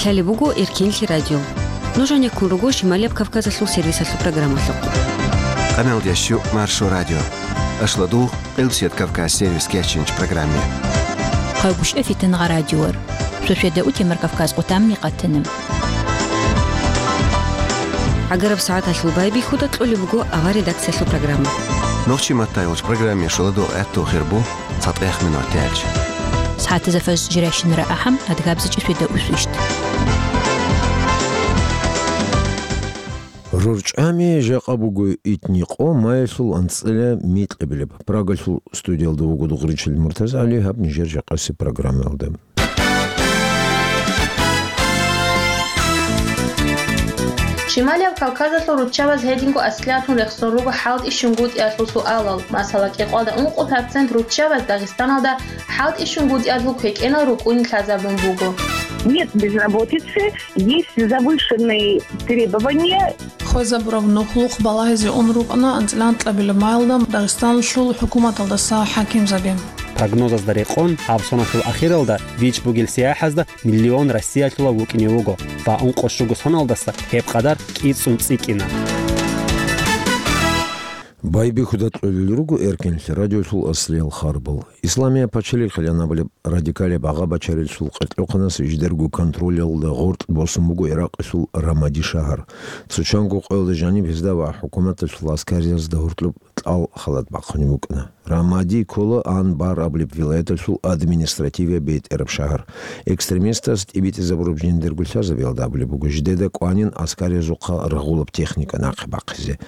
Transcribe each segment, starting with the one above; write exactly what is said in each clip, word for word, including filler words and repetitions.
Лъалеб буго Эркенлъи радио. Нуж гьанеккун руго Шималияб Кавказалъул сервисалъул программалъухъ. Къаналдящу Маршо радио. Ашладугъ, Къилбсият Кавказ сервис кечинч программе. Къайгушев Фитангъа радиор. Шошеда утемар Кавказ къутамни къатана. ГӀагараб сагӀаталъул байбихьуда кьолеб буго авар редакциялъул программа. Нохчи маттайолч программе шоладо гӀатту хирбу. ЦатӀех минуталъ. СагӀатазда фажр жирайщинара ахӀам, адгабзичӀи шведа усвищт. РорчӀами жакъа буго итни къо маялъул анцӀила микьабилеб. Прагалъул студиялда вуго дугъричил МуртазагӀали, гьаб нижер жакъаси программаялда. Шималияб Кавказалъул руччабаз гьединго аслиялъун рехсон руго хӀалтӀи-щунгутӀиялъул суалал. Масала, кӀикъоялда ункъо процент руччабаз Дагъистаналда хӀалтӀи-щунгутӀиялъул квекӀенал рукӀунин лъазабун буго. Нет безработицы, есть завышенные требования. Хвезабураб нухлухъ балагьизе ун рукӀана анцӀила анкьабилеб маялда Дагъистаналъул хӀукуматалдаса хӀакимзаби. Прогнозазда рекъон, гьаб соналъул ахиралда вич бугел сияхӀазда миллион Россиялъула вукӀине вуго ва ункъо щуго соналдаса гьеб къадар кӀицӀун цӀикӀкӀина. Байбихьуда кьолел руго Эркенлъи радиолъул аслиял харбал. Исламияб пачалихъилан абулеб радикалияб агъа-бачарилъул къеркьухъанас жидерго контролялда гъоркь босун буго Иракъалъул Рамади шагьар. Цо чанго къоялда жаниб гьезда ва хӀукуматалъул аскариязда гьоркьоб кьал халат бахъунеб букӀана. Рамади ккола Анбар абулеб вилаяталъул административияб бетӀераб шагьар. Экстремистаз тӀибитӀизабураб жиндирго лъазабиялда абулеб буго жидеда кӀванин аскариязухъа рагъулаб техника нахъе бахъизе.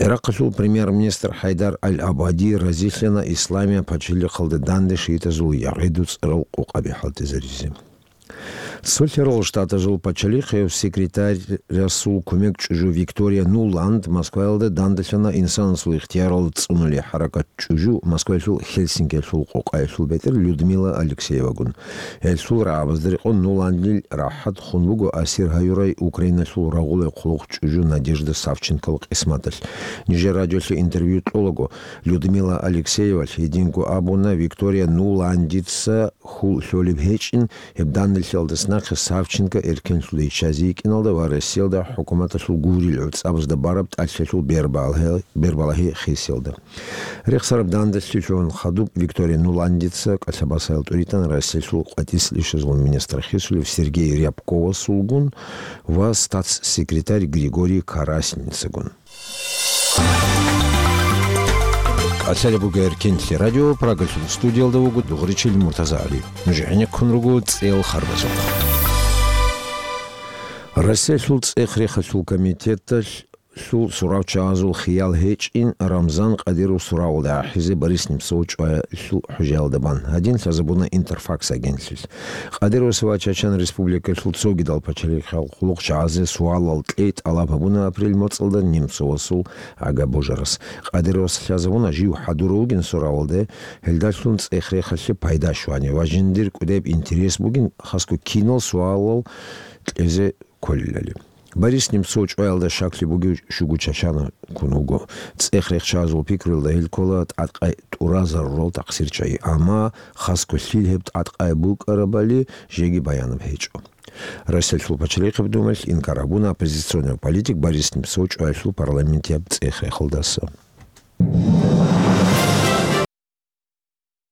Иракъалъул премьер-министр ХӀайдар аль-Абади разилъана Исламияб пачалихъалда данде шиитазул ягъиду цӀарал къокъаби хӀалтӀизаризе. Цо лъарал штатазул пачалихъев секретарасул кумек чӀужу Виктория Нуланд Москваялда дандалъана инсанасул ихтияралда цӀунули хӀаракат чӀужу Москваялъул Хельсинкиялъул къокъаялъул бетӀер Людмила Алексеевагун. Гьелъул рагӀабазда рекъон Нуландил рахӀат хун буго асир гьаюрай Украиналъул рагъулай хъулухъ чӀужу Надежда Савченкол къисматалъ. Нижер радиолъе интервью кьолаго, Людмила Алексеевалъ гьединго абуна, Виктория Нуландица хьул лъолеб гьечӀин, гьеб данделъиялдас нахъе Савченко эркенлъуда иччазе йикӀиналда ва Россиялда хӀукуматалъул гурил гӀуцӀабазда бараб тӀалъилъул бербалагьи-, бербалагьи хисиялда. Рехсараб данделъи лъугьун хадуб Виктория Нуландица кӀалъабасаял тӀуритӀан Россиялъул къватӀислъищазул министр хисулев Сергей Рябковасулгун ва статс-секретарь Григорий Карасинцагун. КӀалъалеб буго Эркенлъи радио, Прагалъул студиялда вуго дугъричил МуртазагӀали. Нуж гӀенеккун руго цӀел харбазухъ. Россиялъул цӀех-рехалъул комитеталъул суравчагӀазул хиял гьечӀин Рамзан Кадиров суравалда ахӀизе Борис Немцов чӀваялъул хӀужаялда бан. Гьадин лъазабуна Интерфакс агентлъилъ. Кадыровас ва Чачан Республикалъул цогидал пачалихъал хъулухъчагӀазе суалал кьей тӀалаб гьабуна апрель моцӀалда Немцовасул агабожарас. Кадыровас лъазабуна жив хӀадурав вугин суравалде, гьелдалъун цӀех-рехалъе пайда щвани ва жиндир кӀудеб интерес бугин, хасго кинал суалал кьезе кколелали. Борис Немцов чӀваялда щаклъи бугев щуго Чачана ккун вуго. ЦӀех-рехчазул пикруялда гьел ккола тӀадкъай тӀуразарурал тахсирчагӀи, амма хасго лъил гьеб тӀадкъай букӀарабали жеги баянаб гьечӀо. Россиялъул пачалихъеб думаялъ инкар гьабуна оппозиционный политик Борис Немцов чӀваялъул парламентияб цӀех-рехалдаса.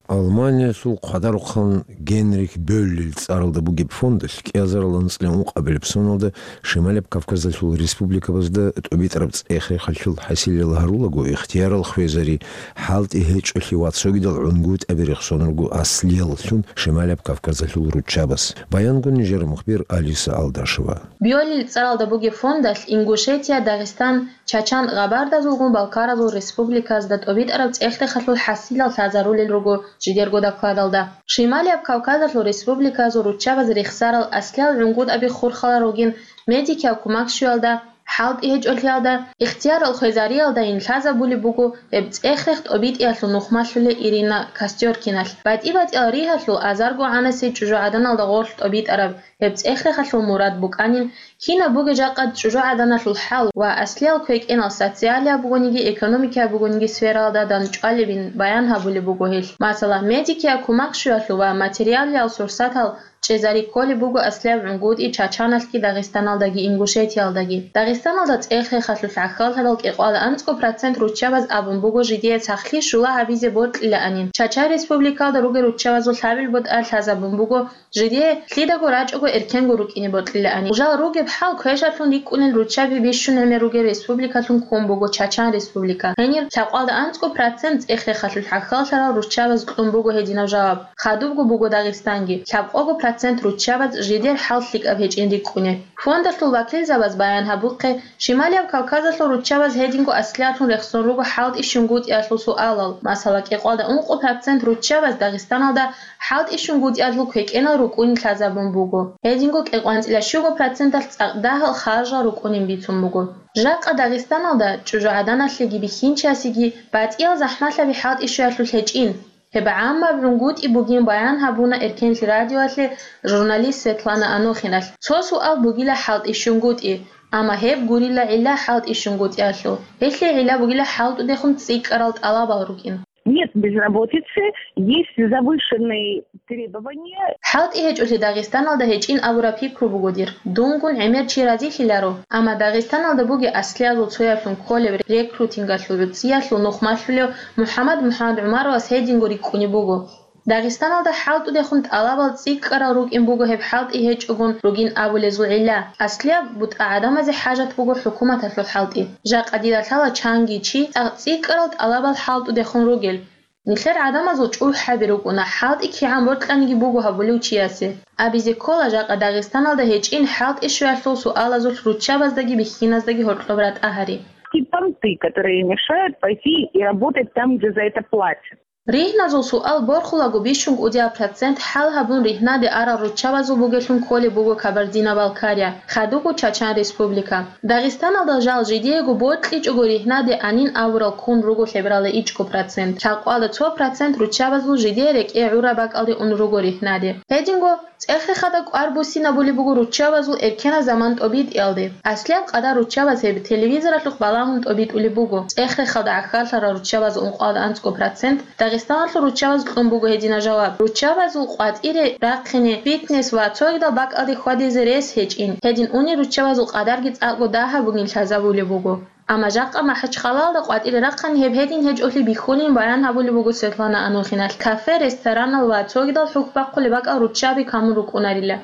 Алманиялъул хъвадарухъан Генрих Бёллил цӀаралда бугеб фондалъ кӀиазарал анцӀила ункъабилеб соналда Шималияб Кавказалъул республикабазда тӀубитӀараб цӀех-рехалъул хӀасилел гьарулаго ихтиярал хвезари, хӀалтӀи гьечӀолъи ва цогидал гӀунгутӀаби рехсон руго аслияллъун Шималияб Кавказалъул руччабаз. Баянгун нижер мухбир Алиса Алдашева. Бёллил цӀаралда бугеб фондалъ Ингушетия, Дагъистан, Чачан, Къабардазулгун Балкаразул республиказда тӀубитӀараб цӀех-рехалъул хӀасилал лъазарулел руго жидерго докладалда. Шималияб Кавказалъул республиказул руччабаз рехсарал аслиял гӀунгутӀаби хурхалал ругин медикиял кумак щуялда, хӀалтӀи гьечӀолъиялда, ихтиярал хвезариялдайин лъазабулеб буго гьеб цӀех-рех тӀубитӀиялъул нухмалъулей Ирина Костёркиналъ. БатӀи-батӀиял ригьалъул азарго гӀанасей чӀужугӀаданалда гъорлъ тӀубитӀараб гьеб цӀех-рехалъул мурад букӀанин Кинаб бугеб жакъа чӀужугӀаданалъул хӀал ва аслиял квекӀенал социалияб бугониги, экономикияб бугониги сфералда данчӀвалебин баян гьабулеб буго гьелъ. Масала, медикияб кумак щуялъул ва материалиял сурсатал чӀезари кколеб буго аслияб гӀунгутӀи Чачаналъги Дагъистаналдаги Ингушетиялдаги. Дагъистаналда цӀех-рехалъулъ гӀахьаллъарал кӀикъоялда анцӀго процент руччабаз абун буго жидее сахлъи щула гьабизе бокьилаанин. Чачан республикалда ругел руччабазул лъабил бутӀа лъазабун буго жидее лъидаго рачӀого эркенго рукӀине бокьилаанин. Жал ругеб хӀал квешалъун рикӀкӀунел руччаби бищун гӀемер ругел республикалъун ккун буго Чачан республика. Гьенир лъабкъоялда анцӀго процент цӀех-рехалъулъ гӀахьаллъарал руччабаз кьун буго гьединаб жаваб. Хадубго буго Дагъистанги. Лъабкъого процент руччабаз жидер хӀал лъикӀаб гьечӀин рикӀкӀунеб. Фондалъул вакилзабаз баян гьабухъе, Шималияб Кавказалъул руччабаз гьединго аслиялъун рехсон руго хӀалтӀи-щунгутӀиялъул суалал. Масала, кӀикъоялда ункъо процент руччабаз Дагъистаналда хӀалтӀи-щунгутӀиялъул квекӀенал рукӀунин лъазабун буго. Гьединго кӀикъоялда анцӀила щуго проценталъ цӀакъ дагьал харжал рукӀунин бицун буго. Жакъа Дагъистаналда чӀужугӀаданалъеги бихьинчиясеги батӀиял захӀмалъаби хӀалтӀи-щуялъулъ гьечӀин. Гьеб гӀаммаб гӀунгутӀи бугин баян гьабуна Эркенлъи радиоялъе журналист Светлана Анохиналъ. Цо суал бугила хӀалтӀи-щунгутӀи, амма гьеб гурила гӀилла хӀалтӀи-щунгутӀиялъул. Гьелъие гӀилла бугила хӀалтӀудехун цӀикӀкӀарал тӀалабал рукӀин. Нет безработицы, есть завышенные требования. ХӀалтӀи гьечӀолъи Дагъистаналда гьечӀин абураб пикру буго дир. Дунгун гӀемер чи разилъиларо, амма Дагъистаналда бугеб аслиязул цояблъун кколеб рекрутингалъул гӀуцӀиялъул нухмалъулев МухӀаммад МухӀаммад ГӀумаровас гьединго рикӀкӀунеб буго. Дагъистаналда хӀалтӀудехун тӀалабал цӀикӀкӀарал рукӀин буго гьеб хӀалтӀи гьечӀогун ругин абулезул гӀилла. Аслияб бутӀа гӀадамазе хӀажат буго хӀукуматалъул хӀалтӀи. Жакъа дида лъала чанги чи цӀакъ цӀикӀкӀарал тӀалабал хӀалтӀудехун ругел. Нилъер гӀадамазул чӀухӀаби рукӀуна, хӀалтӀи кигӀан бокьаниги буго гьабулев чиясе. Абизе ккола, жакъа Дагъистаналда гьечӀин хӀалтӀи-щуялъул суалазулъ руччабаздаги бихьиназдаги гьоркьоб ратӀа гьари. Те понты, которые мешают пойти и работать там, где за это платят. Ригьназул суал борхулаго бищун кӀудияб процент хӀал гьабун ригьнаде арал руччабазул бугелъун кколеб буго Кабардино-Балкария, хадубго Чачан Республика. Дагъистаналда жал жидеего бокьичӀого ригьнаде анин абурал ккун руго лъебералда ичӀго процент. Лъабкъоялда цо процент руччабазул жидее рекӀее гӀураб бакӀалде ун руго ригьнаде. Гьединго, цӀех-рехалда кӀвар буссинабулеб буго руччабазул эркенаб заман тӀобитӀиялде. Аслияб къадар руччабаз гьеб телевизоралъухъ балагьун тӀобитӀулеб буго. ЦӀех-рехалда гӀахьаллъарал руччабазул ункъоялда анцӀго процент, Дагъистаналъул руччабаз кьун буго гьединаб жаваб. Руччабазул къватӀире рахъине, фитнес ва цогидал бакӀалде хьвадизе рес гьечӀин. Гьедин унел руччабазул къадарги цӀакъго дагьаб бугин лъазабулеб буго. Амма жакъа МахӀачхъалаялда къватӀире рахъани гьеб гьедин гьечӀолъи бихьулин баян гьабулеб буго Светлана Анохиналъ. Кафе, ресторанал ва цогидал хӀухь бахъулеб бакӀал руччаби камун рукӀунарила.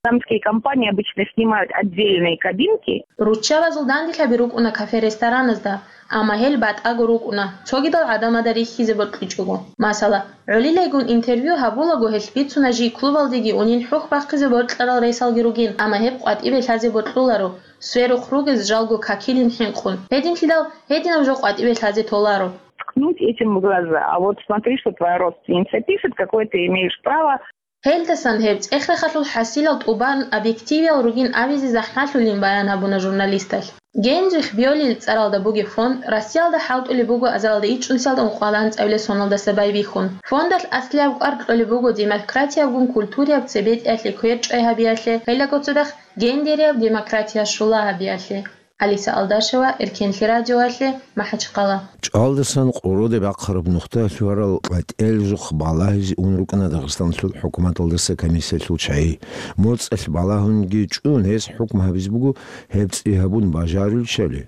Самские компании обычно снимают отдельные кабинки. Руччабазул данделъаби рукӀуна кафе-рестораназда, амма гьел батӀаго рукӀуна, цогидал гӀадамазда рихьизе бокьичӀого. Масала, гӀолилайгун интервью гьабулаго гьелъ бицуна жий клубалдеги унел хӀухь бахъизе бокьарал ресалги ругин, амма гьеб къватӀибе лъазе бокьуларо, сверухъ ругез жалго какилин хӀинкъун. Гьединлъидал гьединаб жо къватӀибе лъазе толаро. Ткнуть этим в глаза. А вот смотри, что твоя родственница пишет, какое ты имеешь право. Гьелдасан гьеб цӀех-рехалъул хӀасилал тӀубан объективиял ругин абизе захӀмалъулин баян гьабуна журналисталъ. Генрих Бёллил цӀаралда бугеб фонд Россиялда хӀалтӀулеб буго азаралда ичӀнусиялда ункъоялда анцӀабилеб соналдаса байбихьун. Фондалъ аслияб кӀвар кьолеб буго демократиябгун культурияб цебетӀиялъе кверчӀвай гьабиялъе, гьелдаго цадахъ гендерияб демократия щула гьабиялъе. Алиса Алдашева, Эркенлъи радиоялъе, МахӀачхъала. ЧӀалдасан къоролде бахъараб нухда лъугьарал къватӀиялъухъ балагьизе ун рукӀана Дагъистаналъул хӀукуматалдаса комиссиялъул чагӀи. МоцӀалъ балагьунги чӀун, гьес хӀукму гьабизе буго гьеб цӀи гьабун бажарулищали.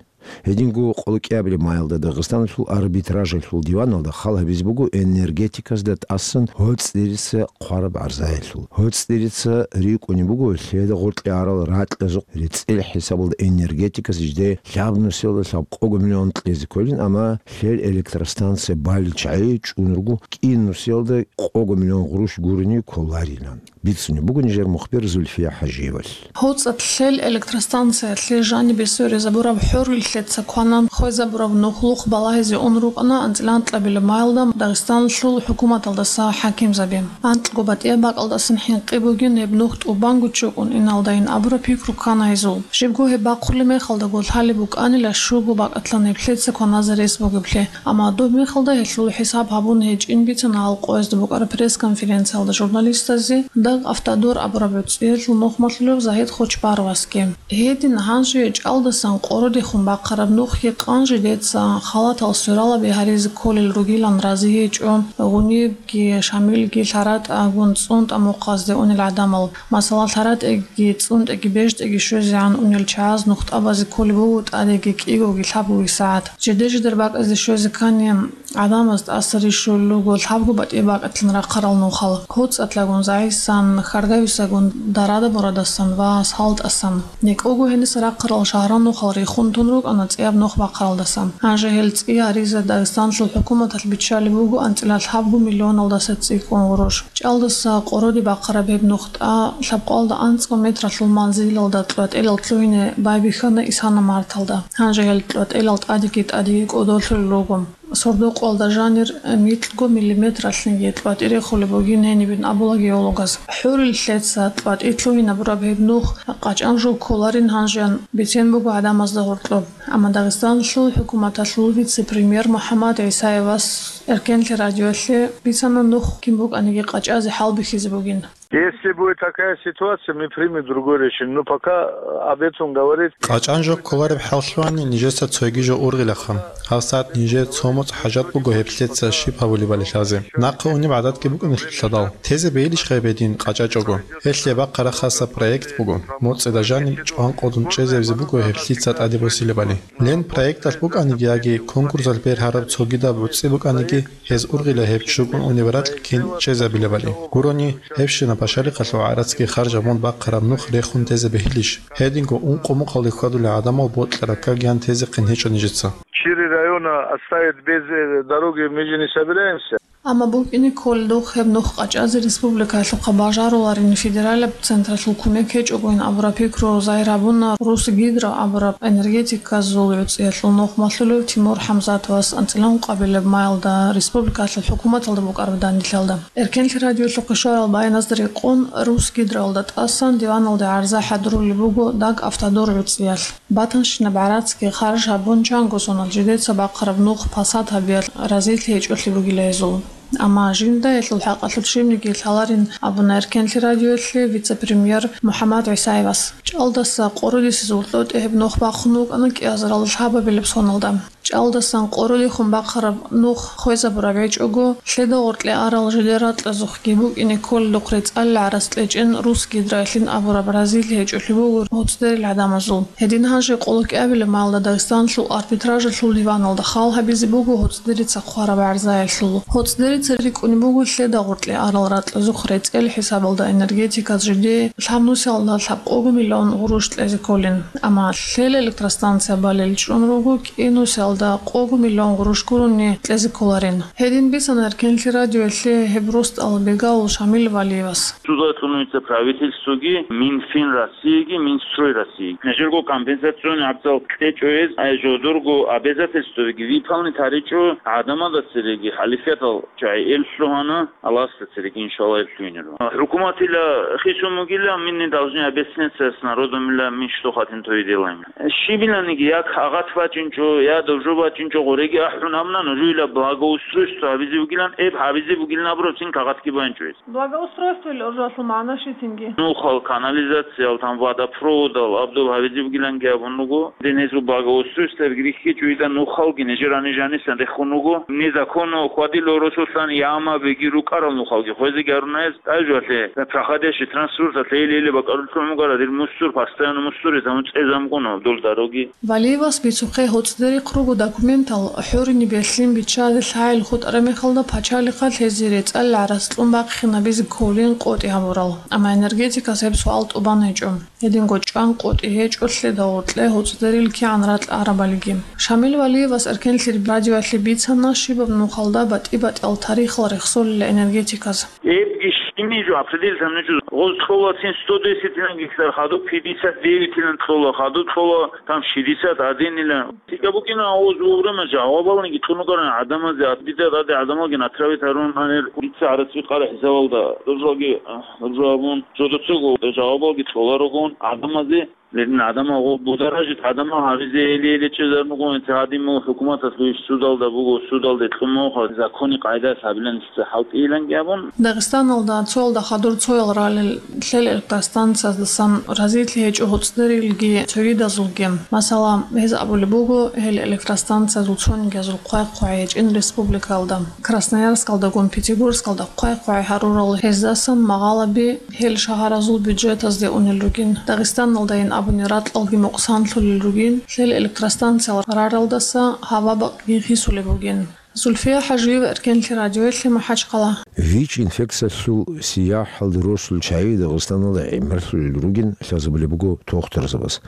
Гьединго къоло кӀиабилеб майалда Дагъистаналъул арбитражалъул диваналда хал гьабизе буго энергетиказда тӀасан гьоцӀ дирица хъвараб гӀарзаялъул. ГьоцӀ дирица рикӀкӀунеб буго лъеда гъоркье арал ракьазухъ рецӀил хӀисабалда энергетикас жидее лъабнусиялда лъабкъого миллион кьезе кколин, амма лъел электростанция балел чагӀи чӀун руго кӀинусиялда къого миллион гъурущ гурони кколарилан. Бицунеб буго нижер мухбир Зульфия ХӀажиевалъ. ГьоцӀалъ лъел электростанциялъе жанибе сверизабураб хӀорилъи Ца кванан хвезабураб нухлухъ балагьизе ун рукӀана анцӀила анкьабилеб майилда Дагъистаналъул хӀукуматалдаса хӀакимзаби. Анкьго батӀияб бакӀалдасан хӀинкъи бугин гьеб нух тӀубанго чӀукӀун иналдайин абураб пикру ккана гьезул. Щибго гьеб бахъулеб мехалдаго лъалеб букӀанила щуго бакӀалъан гьеб лъеца кваназе рес бугеблъи, амма доб мехалда гьелъул хӀисаб гьабун гьечӀин бицана гьал къоязда букӀараб пресс-конференциялда журналистазе Дагавтодор абураб гӀуцӀиялъул нухмалъулев Загьид Хочбаровасги. Гьедин гьанже чӀалдасан къородехун бахъараб нухги къанжидеца халатал свералаби гьаризе кколел ругилан рази гьечӀо Гъунибги Шамилги лъаратӀагун цӀунтӀа мухъазде унел гӀадамал. Масала, лъаратӀеги цӀунтӀеги бежтӀеги щвезегӀан унел чагӀаз нухтӀабазе кколеб буго тӀадеги кӀигоги лъабгоги сагӀат. Жиде-жидер бакӀазде щвезе ккани, гӀадамаз тӀаса рищулел руго лъабго батӀияб бакӀалъан рахъарал нухал, гьоцӀалъагун, загӀисан, хьаргависагун, дарада-бурадасан ва салтӀасан. НекӀого гьениса рахъарал шагьрал нухал рехун тун рукӀана цӀияб нух бахъаралдаса. Гьанже гьел цӀи гьаризе Дагъистаналъул хӀукуматалъ биччалеб буго анцӀила лъабго миллионалдаса цӀикӀкӀун гъурущ. ЧӀалдаса къороде бахъараб гьеб нухтӀа лъабкъоялда анцӀго метралъул манзилалда кьватӀелал лъугьине байбихьана исана марталда. Гьанже гьел кьватӀелал тӀадеги-тӀадеги кӀодолъулел руго. Сордокъоялда жанир микьго миллиметралъниги кьватӀи рехулеб бугин гьенибин абула геологаз. ХӀурил лъеца кьватӀи лъугьинабураб гьеб нух къачӀан жо кколарин гьанжеян бицен буго гӀадамазда гьоркьоб. Амма Дагъистаналъул хӀукуматалъул вице-премьер МухӀаммад ГӀисаевас Эркенлъи радиоялъе бицана нух кин букӀаниги къачӀазе хӀалбихьизе бугин. Если будет такая ситуация, мы примем другое решение. Но пока об этом говорить. КъачӀан жо кколареб хӀал лъугьани нижеца цоги жо ургъилаха. ГьабсагӀат нижер цо моцӀ хӀажат буго гьеб лъеца щиб гьабулебали лъазе. Нахъа унеб гӀадатги букӀунелъул лъадал. Тезе бейилищ гьеб гьедин къачӀачӀого? Гьелъие бахъараб хаса проект буго. МоцӀида жаниб чӀван къодун чӀезабизе буго гьеб лъица тӀаде босилебали. Лен проекталъ букӀаниги яги конкурсалъ бергьараб цогидаб гӀуцӀи букӀаниги, гьез ургъила гьеб чӀукӀун унеб ракь кин чӀезабилебали. Гурони, гьебщинаб пашалихъалъул гӀарацги харж гьабун бахъараб нух рехун тезе бегьилищ? Гьединго ункъо мухъалде хьвадулел гӀадамал бокьараб какги гьан тезехъин гьечӀо нижеца. Четыре района оставить без, э, дороги, мы же не собираемся. Амма букӀине кколел духъ гьеб нух къачӀазе республикаялъухъа бажаруларин федералаб централъул кумек гьечӀогойин абураб пикру загьир гьабуна Русгидро абураб энергетиказул гӀуцӀиялъул нухмалъулев Тимур ХӀамзатовас анцӀила ункъабилеб майилда республикаялъул хӀукуматалда букӀараб данделъалда. Эркенлъи радиоялъухъе щварал баяназда рекъон, Русгидроялда тӀасан диваналде гӀарза хӀадурулеб буго Дагавтодор гӀуцӀиялъ. Батанщинаб гӀарацги харж гьабун чанго соналъ жидеца бахъараб нух пасат гьабиялъ разилъи гьечӀолъи бугила гьезул. Амма жинда гьелъул хӀакъалъулъ щибниги лъаларин абуна Эркенлъи радиоялъе вице-премьер МухӀаммад ГӀисаевас. ЧӀалдаса къоролесезул лъотӀи гьеб нух бахъун вукӀана кӀиазарал лъабабилеб соналда. ЧӀалдасан къоролехун бахъараб нух хвезабураб гьечӀого, лъеда гъоркье арал жидер ракьазухъги букӀине кколелухъ рецӀалил гӀарац кьечӀин Русгидроялъин абураб разилъи гьечӀолъи буго гьоцӀдерил гӀадамазул. Гьедин гьанже къоло кӀиабилеб майилда Дагъистаналъул арбитражалъул диваналда хал гьабизе буго гьоцӀдерица хъвараб гӀарзаялъул. ГьоцӀдерица рикӀкӀунеб буго лъеда гъоркье арал ракьазухъ рецӀел хӀисабалда энергетиказ жидее лъабнусиялда лъабкъого миллион гъурущ кьезе кколин. Амма лъел электростанция балел чӀун руго кӀинусиялда къого миллион гъурущ гурони кьезе кколарин. Гьедин бицана Эркенлъи радиоялъе гьеб росдал бегавул Шамил Валиевас. Судалъун вице правительствоги, Минфин Россииги, Минстрой Россииги. Нижерго компенсационный гӀабзал кьечӀо гьез, ай жодорго обязательствоги выполнить гьаричӀо гӀадамалда цереги хӀалифиятал чагӀи эл лъугьана, Аллагьасда цереги, иншалла, эл лъугьинеро. ХӀукуматила хисун бугила, мы не должны объясняться с народом, ила мы что хотим, то и делаем. Щибиланиги, я кагъат бачӀинчӀо, я дов жо бачӀинчӀо, гъореги ахӀун абуна, нужуйила благоустройство гьабизе бугилан, эб гьабизе бугилан абурабцин кагъатги байинчӀо гьез. Благоустройствоялъул магӀна щицинги? Нухал, канализациял, там водопроводал, абдул гьабизе бугиланги абун руго. Дин гьезул благоустройствоялги рихьичӀо, ида нухалги нижер гьанижанисан рехун руго. Незаконно хьвадило росулъан ямабиги рукӀарал нухалги хвезеги гьаруна гьез. Тажвалъе, проходящий транспорталъе или-или бакӀарулъун бугара, дир мусор, постоянно мусор, гьезамун цӀезамкъуна дол дороги. Валиевас бицухъе гьоцӀдерихъ руго документал, хӀурин бегьлъин биччазе лъагӀел хутӀараб мехалда пачалихъалъ гьезие рецӀал гӀарац кьун бахъинабизе кколин къотӀи гьабурал. Амма энергетикас гьеб суал тӀубан гьечӀо. Гьединго чӀван къотӀи гьечӀолъе дагъуркье гьоцӀдерил кигӀан ракь арабалиги. Шамил Валиевас Эркенлъи радиоялъе бицана щибаб нухалда батӀи-батӀиял тарихал рехсолила энергетиказ. Эбги Имею в виду, определить там нечего. Гъоз кьола цин сто десять гектар, хадуб пятьдесят девять кьола, хадуб кьола там шестьдесят один. Тика букина гъоз вовремя жавабалги тунугаран адамазе, а дида ради адамалги натравит гьарун гьанир, дица гӀараци къара хӀисабалда, ружаги, а, ружабун, жодоцого жавабалги кьоларогун адамазе, лерин адамал гъо-, бударажит адамал гьабизе эли-эли чӀезар бугун, гьадин мугъ хӀукуматас лугьиш судалда буго, судалде кьумухъа, закони къайдас гьабилан хӀалтӀиланги абун. Дагъистаналда цоялда хадур цоял ралел лъел электростанциязасан разилъи гьечӀо гьуцӀдерилги цогидазулги. Масала, гьез абулеб буго, гьел электростанциязул цонигиязул хъвай-хъвай гьечӀин республикаялда. Красноярскалдагун Пятигорскалда хъвай-хъвай гьарурал гьездасан магъалаби гьел шагьаразул бюджетазде унел ругин. Дагъистаналдайин абуни ракьалги мукъсанлъулел ругин, лъел электростанциял раралдаса гьава бакъги хисулеб бугин. Зульфия ХӀажиева, Эркенлъи радиоялъе, МахӀачхъала. ВИЧ-инфекциялъул сияхӀалде росулел чагӀи Дагъистаналда гӀемерлъулел ругин лъазабулеб буго тохтурзабаз.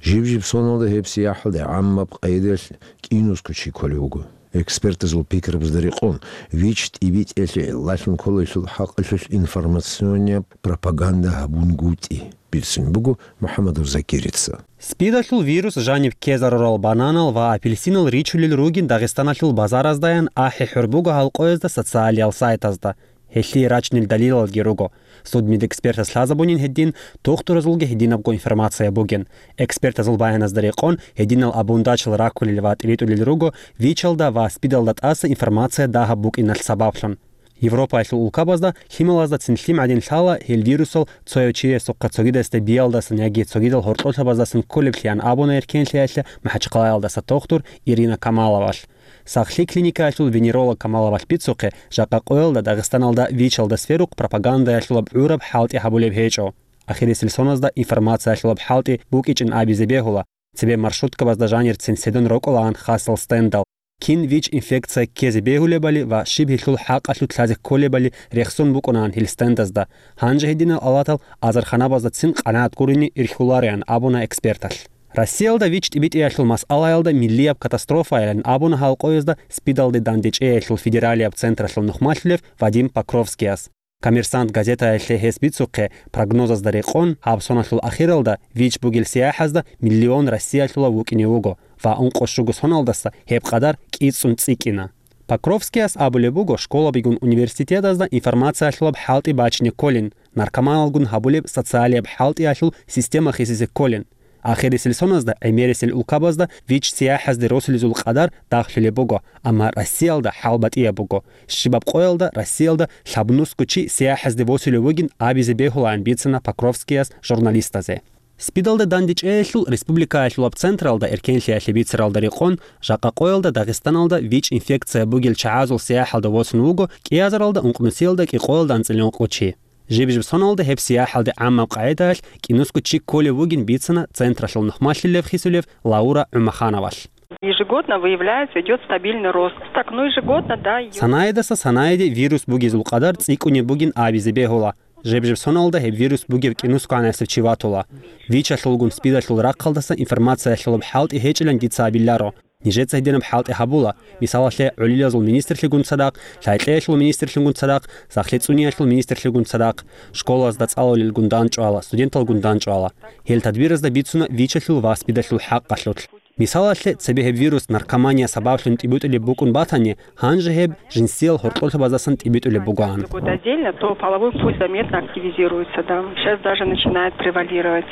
Жиб-жиб соналда гьеб сияхӀалде гӀаммаб къайдаялъ кӀинусго чи кколев вуго. Экспертазул пикрабазда рекъон, ВИЧ тӀибитӀиялъе гӀиллалъун кколелъул хӀакъалъулъ информационияб пропаганда гьабунгутӀи, бицун буго МухӀаммадов Закирица. СПИДалъул вирус жаниб ккезарурал бананал ва апельсинал ричулел ругин Дагъистаналъул базараздаян ахӀи-хӀур буго гьал къоязда социалиял сайтазда. Гьелъие рачунел далилалги руго. Судмедэкспертас лъазабунин гьедин, тухтуразулги гьединабго информация бугин. Экспертазул баяназда рекъон, гьединал абундачил раккулел ва тӀибитӀулел руго ВИЧалда ва СПИДалда тӀаса информация дагьаб букӀиналъ сабаблъун. Европаялъул улкабазда лъималаздацин лъим гӀадин лъала гьел вирусал цояв чиясухъа цогидасда биялдасан яги цогидал гьоркьолъабаздасан кколеблъиан абуна Эркенлъиялъе МахӀачхъалаялдаса тухтур Ирина Камаловалъ. Сахлъи клиникаялъул венеролог Камаловалъ бицухъе, жакъа къоялда Дагъистаналда ВИЧалда сверухъ пропагандаялъулаб гӀураб хӀалтӀи гьабулеб гьечӀо. Ахирисел соназда информациялъулаб хӀалтӀи букӀичӀин абизе бегьула, цебе маршруткабазда жанирцин седун рокӀолаан хасал стендал. Кин ВИЧ-инфекция ккезе бегьулебали ва щиб гьелъул хӀакъалъулъ лъазе кколебали рехсон букӀунаан гьел стендазда. Гьанже гьединал алатал азарханабаздацин къанагӀат гурине ирхьулареан абуна эксперталъ. Россиялда ВИЧ тӀибитӀиялъул масъалаялда миллияб катастрофайилан абуна гьал къоязда СПИДалде дандечӀеялъул федералияб централъул нухмалъулев Вадим Покровскияс. «Коммерсант» газетаялъе гьес бицухъе, прогнозазда рекъон, гьаб соналъул ахиралда ВИЧ бугел сияхӀазда миллион Россиялъулав вукӀине вуго ва ункъо щуго соналдаса гьеб къадар кӀицӀун цӀикӀкӀина. Покровскияс абулеб буго, школабигун университетазда информациялъулаб хӀалтӀи бачине кколин, наркоманалгун гьабулеб социалияб хӀалтӀиялъул система хисизе кколин. Ахирисел соназда гӀемерисел улкабазда ВИЧ сияхӀазде росулезул къадар дагълъулеб буго, амма Россиялда хӀал батӀияб буго. Щибаб къоялда Россиялда лъабнусго чи сияхӀазде восулев вугин абизе бегьулаан бицана Покровскияс журналистазе. СПИДалде дандечӀеялъул республикаялъулаб централда эркенлъиялъе бицаралда рекъон, жакъа къоялда Дагъистаналда ВИЧ-инфекция бугел чагӀазул сияхӀалда восун вуго кӀиазаралда ункънусиялда кӀикъоялда анцӀила ункъо чи. Жиб-жиб соналда гьеб сияхӀалде гӀаммаб къагӀидаялъ кӀинусго чи кколев вугин бицана централъул нухмалъулев хисулев Лаура ГӀумахановалъ. Ежегодно выявляется, идёт стабильный рост. Так, ну, ежегодно, да, идёт. Санаидаса санаиде вирус бугезул къадар цӀикӀкӀунеб бугин абизе бегьула. Жиб-жиб соналда гьеб вирус бугев кӀинусго гӀанасев чи ватула. ВИЧалъулгун СПИДалъул рахъалдаса информациялъулаб хӀалтӀи гьечӀилан дица абиларо. Нижеца гьединаб хӀалтӀи гьабула, мисалалъе, гӀолилазул министрлъигун цадахъ, лъай-кьеялъул министрлъунгун цадахъ, сахлъи цӀуниялъул министрлъигун цадахъ, школазда цӀалулелгун дандчӀвала, студенталгун дандчӀвала. Гьел тадбиразда бицуна ВИЧалъул ва СПИДалъул хӀакъалъулъ. Мисалалъе, цебе гьеб вирус наркомания сабаблъун тӀибитӀулеб букӀун батани, гьанже гьеб жинсиял гьоркьолъабаздасан тӀибитӀулеб бугоан. Другой отдельно, то половой путь заметно активизируется, да. Сейчас даже начинает превалировать.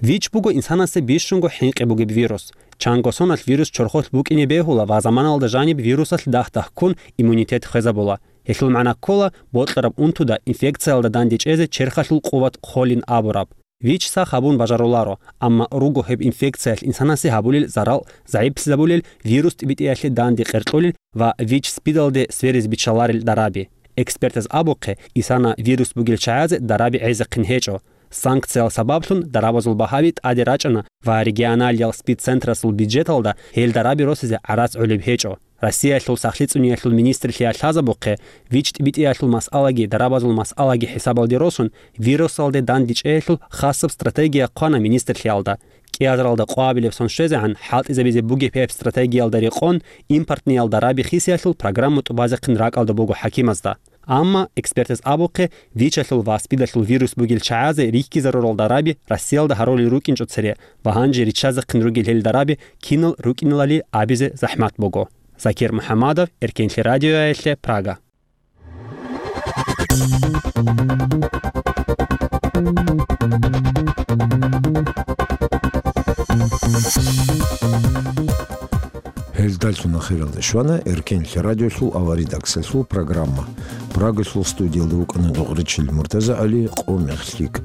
ВИЧ буго инсанасе бищунго хӀинкъи бугеб вирус. Чанго соналъ вирус чорхолъ букӀине бегьула ва заманалда жаниб вирусалъ дагь-дагьккун иммунитет хвезабула. Гьелъул магӀна ккола бокьараб унтуда инфекциялда дандечӀезе черхалъул къуват хъолин абураб. ВИЧ сах гьабун бажаруларо, амма руго гьеб инфекциялъ инсанасе гьабулел зарал, загӀиплъизабулел, вирус тӀибитӀиялъе данде къеркьулел ва ВИЧ СПИДалде сверизе биччаларел дараби. Экспертаз абухъе, исана вирус бугел чагӀазе дараби гӀезехъин гьечӀо. Санкциял сабаблъун дарабазул багьаби тӀаде рачӀана ва регионалиял СПИД-центрасул бюджеталда гьел дараби росизе гӀарац гӀолеб гьечӀо. Россиялъул сахлъи цӀуниялъул министрлъиялъ лъазабухъе, ВИЧ тӀибитӀиялъул масъалаги дарабазул масъалаги хӀисабалде росун, вирусалде дандечӀеялъул хасаб стратегия хъвана министрлъиялда. КӀиазаралда къвабилеб сон щвезегӀан хӀалтӀизабизе бугеб гьеб стратегиялда рекъон, импортниял дараби хисиялъул программа тӀубазехъин ракӀалда буго хӀакимазда. Амма, экспертаз абухъе, ВИЧалъул ва СПИДалъул вирус бугел чагӀазе рихьизарурал дараби Россиялда гьарулел рукӀинчӀо цере ва гьанже риччазехъин ругел гьел дараби кинал рукӀиналали абизе захӀмат буго. Закир МухӀаммадов, Эркенлъи радиоялъе, Прага. Гьелдалъун ахиралде щвана Эркенлъи радиолъул аваридаксалъул программа. Прагалъул студиялда вукӀана Дугъричил МуртазагӀали, къо мех лъикӀ.